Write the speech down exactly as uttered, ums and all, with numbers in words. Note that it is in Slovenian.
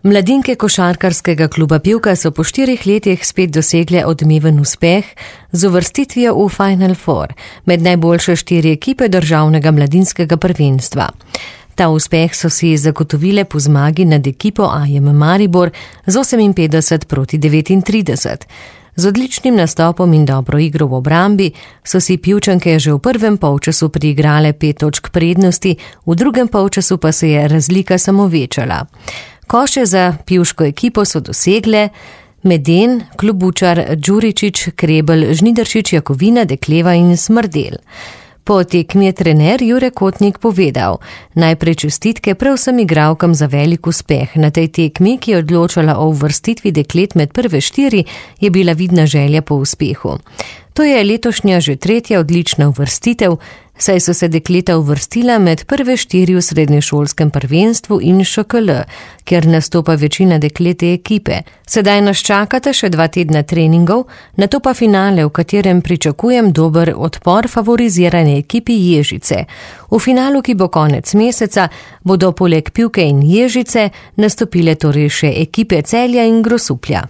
Mladinke košarkarskega kluba Pivka so po štirih letih spet dosegle odmeven uspeh z uvrstitvijo v Final Four med najboljše štiri ekipe državnega mladinskega prvenstva. Ta uspeh so si zagotovile po zmagi nad ekipo A J M Maribor z oseminpetdeset proti devetintrideset. Z odličnim nastopom in dobro igro v obrambi so si Pivčanke že v prvem polčasu priigrale pet točk prednosti, v drugem polčasu pa se je razlika samo večala. Koše za pivško ekipo so dosegle Meden, Klobučar, Đuričić, Krebel, Žnidaršič, Jakovina, Dekleva in Smrdel. Po tekmi je trener Jure Kotnik povedal: najprej čestitke prav vsem igralkam za velik uspeh. Na tej tekmi, ki je odločala o uvrstitvi deklet med prve štiri, je bila vidna želja po uspehu. To je letošnja že tretja odlična uvrstitev, saj so se dekleta uvrstila med prve štiri v srednješolskem prvenstvu in Š K L, kjer nastopa večina deklete ekipe. Sedaj nas čakata še dva tedna treningov, nato pa finale, v katerem pričakujem dober odpor favorizirane ekipi Ježice. V finalu, ki bo konec meseca, bodo poleg Pivke in Ježice nastopile torej še ekipe Celja in Grosuplja.